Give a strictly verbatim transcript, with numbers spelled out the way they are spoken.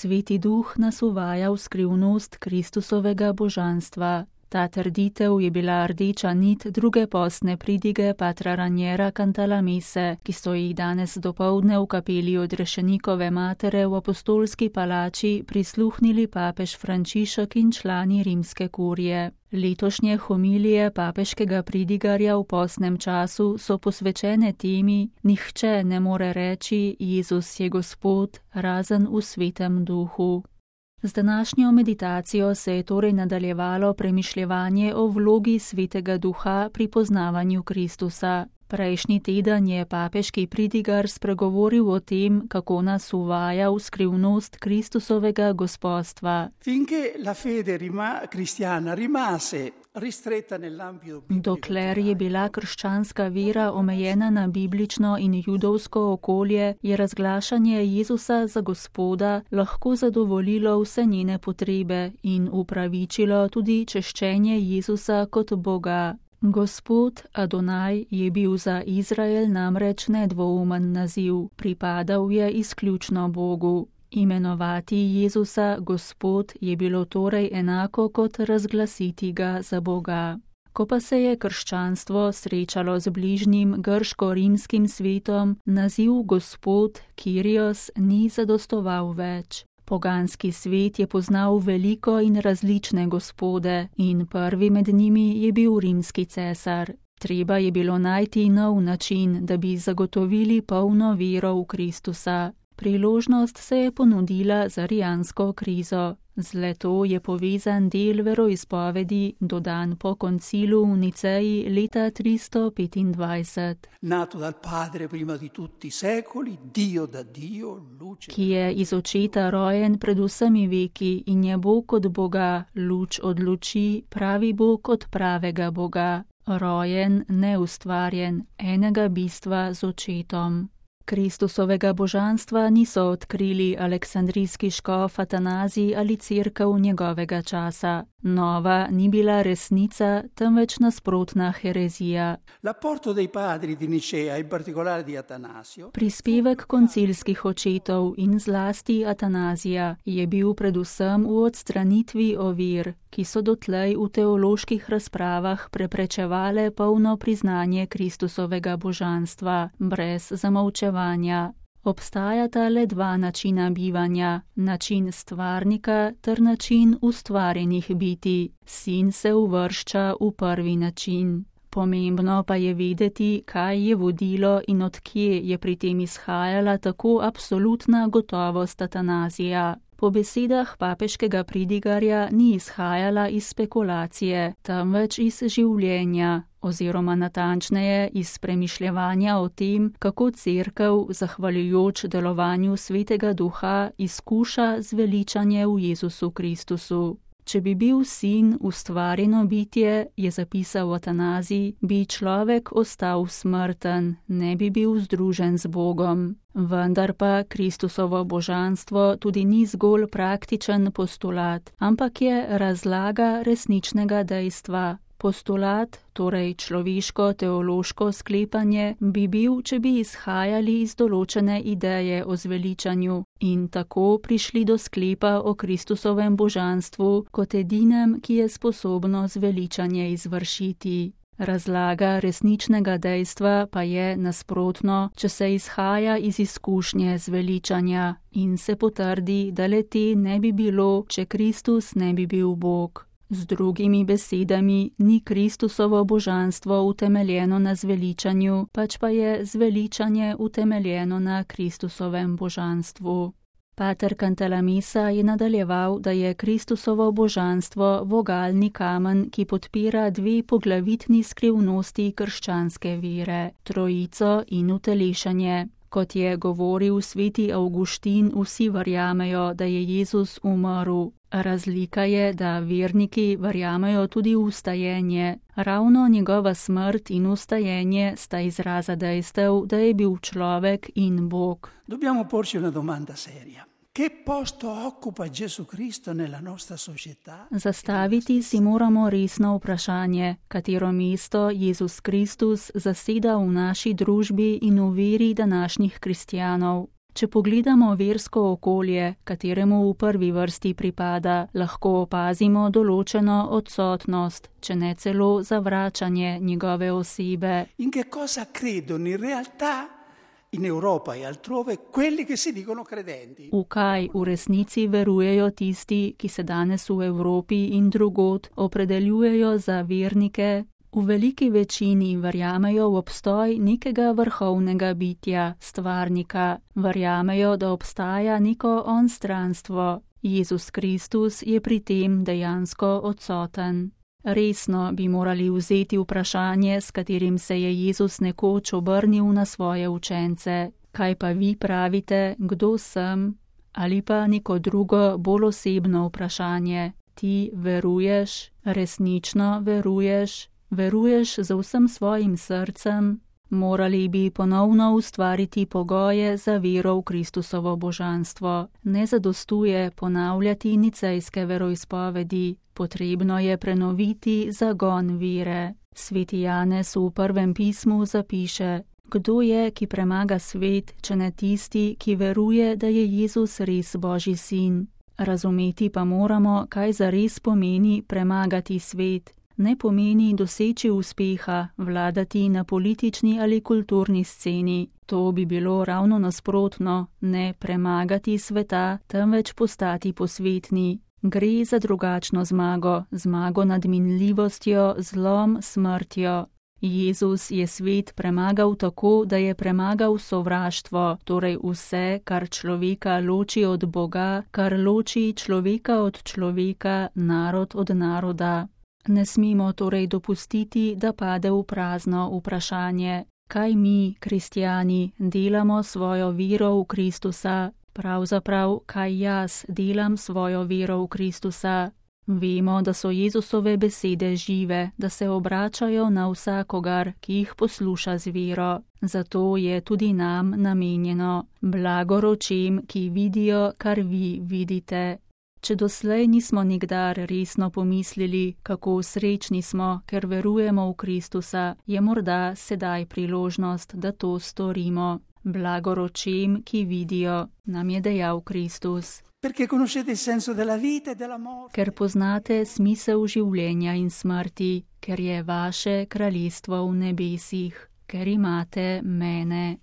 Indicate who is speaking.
Speaker 1: Sveti Duh nas uvaja v skrivnost Kristusovega božanstva. Ta trditev je bila rdeča nit druge postne pridige patra Raniera Cantalamesse, ki so jih danes dopoldne v kapeli Odrešenikove matere v apostolski palači prisluhnili papež Frančišek in člani rimske kurije. Letošnje homilije papeškega pridigarja v postnem času so posvečene temi: nihče ne more reči Jezus je Gospod, razen v Svetem Duhu. Z današnjo meditacijo se je torej nadaljevalo premišljevanje o vlogi Svetega Duha pri poznavanju Kristusa. Prejšnji teden je papeški pridigar spregovoril o tem, kako nas uvaja v skrivnost Kristusovega gospodstva. Dokler je bila krščanska vera omejena na biblično in judovsko okolje, je razglašanje Jezusa za Gospoda lahko zadovoljilo vse njene potrebe in upravičilo tudi češčenje Jezusa kot Boga. Gospod Adonaj je bil za Izrael namreč nedvoumen naziv, pripadal je izključno Bogu. Imenovati Jezusa Gospod je bilo torej enako kot razglasiti ga za Boga. Ko pa se je krščanstvo srečalo z bližnjim grško-rimskim svetom, naziv Gospod, Kyrios, ni zadostoval več. Poganski svet je poznal veliko in različne gospode in prvi med njimi je bil rimski cesar. Treba je bilo najti nov način, da bi zagotovili polno vero v Kristusa. Priložnost se je ponudila za arijansko krizo. Z leto je povezan del veroizpovedi, dodan po koncilu v Niceji leta tristo petindvajset.
Speaker 2: Nato dal Padre prima di tutti secoli, Dio da Dio, luce.
Speaker 1: Ki je iz očeta rojen pred vsemi veki in je Bog od Boga, luč od luči, pravi Bog od pravega Boga, rojen, neustvarjen, enega bistva z očetom. Kristusovega božanstva niso odkrili aleksandrijski škof Atanazij ali cerkev njegovega časa. Nova ni bila resnica, temveč nasprotna herezija. Prispevek koncilskih očetov in zlasti Atanazija je bil predvsem v odstranitvi ovir, ki so dotlej v teoloških razpravah preprečevale polno priznanje Kristusovega božanstva, brez zamolčevanja. Obstajata le dva načina bivanja, način stvarnika ter način ustvarjenih bitij. Sin se uvršča v prvi način. Pomembno pa je vedeti, kaj je vodilo in odkje je pri tem izhajala tako absolutna gotovost Atanazija. Po besedah papeškega pridigarja ni izhajala iz spekulacije, temveč iz življenja, oziroma natančneje iz premišljevanja o tem, kako cerkev, zahvaljujoč delovanju Svetega Duha, izkuša zveličanje v Jezusu Kristusu. Če bi bil sin ustvarjeno bitje, je zapisal Atanazij, bi človek ostal smrten, ne bi bil združen z Bogom. Vendar pa Kristusovo božanstvo tudi ni zgolj praktičen postulat, ampak je razlaga resničnega dejstva. Postulat, torej človeško teološko sklepanje, bi bil, če bi izhajali iz določene ideje o zveličanju in tako prišli do sklepa o Kristusovem božanstvu kot edinem, ki je sposobno zveličanje izvršiti. Razlaga resničnega dejstva pa je nasprotno, če se izhaja iz izkušnje zveličanja in se potrdi, da le te ne bi bilo, če Kristus ne bi bil Bog. Z drugimi besedami, ni Kristusovo božanstvo utemeljeno na zveličanju, pač pa je zveličanje utemeljeno na Kristusovem božanstvu. Pater Cantalamessa je nadaljeval, da je Kristusovo božanstvo vogalni kamen, ki podpira dve poglavitni skrivnosti krščanske vere, trojico in utelešanje. Kot je govoril sveti Avguštin, vsi verjamejo, da je Jezus umrl. Razlika je, da verniki verjamejo tudi v vstajenje. Ravno njegova smrt in vstajenje sta izraza dejstev, da je bil človek in Bog.
Speaker 2: Dobbiamo porci una domanda seria. Che posto occupa Gesù Cristo nella nostra società?
Speaker 1: Zastaviti si moramo resno vprašanje, katero mesto Jezus Kristus zaseda v naši družbi in v veri današnjih kristjanov. Če pogledamo versko okolje, kateremu v prvi vrsti pripada, lahko opazimo določeno odsotnost, če ne celo zavračanje njegove osebe.
Speaker 2: In che cosa credono in realtà in Europa e altrove quelli che si dicono credenti?
Speaker 1: V kaj v resnici verujejo tisti, ki se danes v Evropi in drugod opredeljujejo za vernike? V veliki večini verjamejo v obstoj nekega vrhovnega bitja, stvarnika. Verjamejo, da obstaja neko onstranstvo. Jezus Kristus je pri tem dejansko odsoten. Resno bi morali vzeti vprašanje, s katerim se je Jezus nekoč obrnil na svoje učence. Kaj pa vi pravite, kdo sem? Ali pa neko drugo, bolj osebno vprašanje. Ti veruješ? Resnično veruješ? Veruješ z vsem svojim srcem? Morali bi ponovno ustvariti pogoje za vero v Kristusovo božanstvo. Ne zadostuje ponavljati nicejske veroizpovedi. Potrebno je prenoviti zagon vere. Sveti Janez v prvem pismu zapiše: Kdo je, ki premaga svet, če ne tisti, ki veruje, da je Jezus res Božji sin? Razumeti pa moramo, kaj zares pomeni premagati svet. Ne pomeni doseči uspeha, vladati na politični ali kulturni sceni. To bi bilo ravno nasprotno, ne premagati sveta, temveč postati posvetni. Gre za drugačno zmago, zmago nad minljivostjo, zlom, smrtjo. Jezus je svet premagal tako, da je premagal sovraštvo, torej vse, kar človeka loči od Boga, kar loči človeka od človeka, narod od naroda. Ne smemo torej dopustiti, da pade v prazno vprašanje, kaj mi, kristjani, delamo svojo vero v Kristusa, pravzaprav, kaj jaz delam svojo vero v Kristusa. Vemo, da so Jezusove besede žive, da se obračajo na vsakogar, ki jih posluša z vero. Zato je tudi nam namenjeno. Blagor očem, ki vidijo, kar vi vidite. Če doslej nismo nikdar resno pomislili, kako srečni smo, ker verujemo v Kristusa, je morda sedaj priložnost, da to storimo. Blagor očem, ki vidijo, nam je dejal Kristus. Ker poznate smisel življenja in smrti, ker je vaše kraljestvo v nebesih, ker imate mene.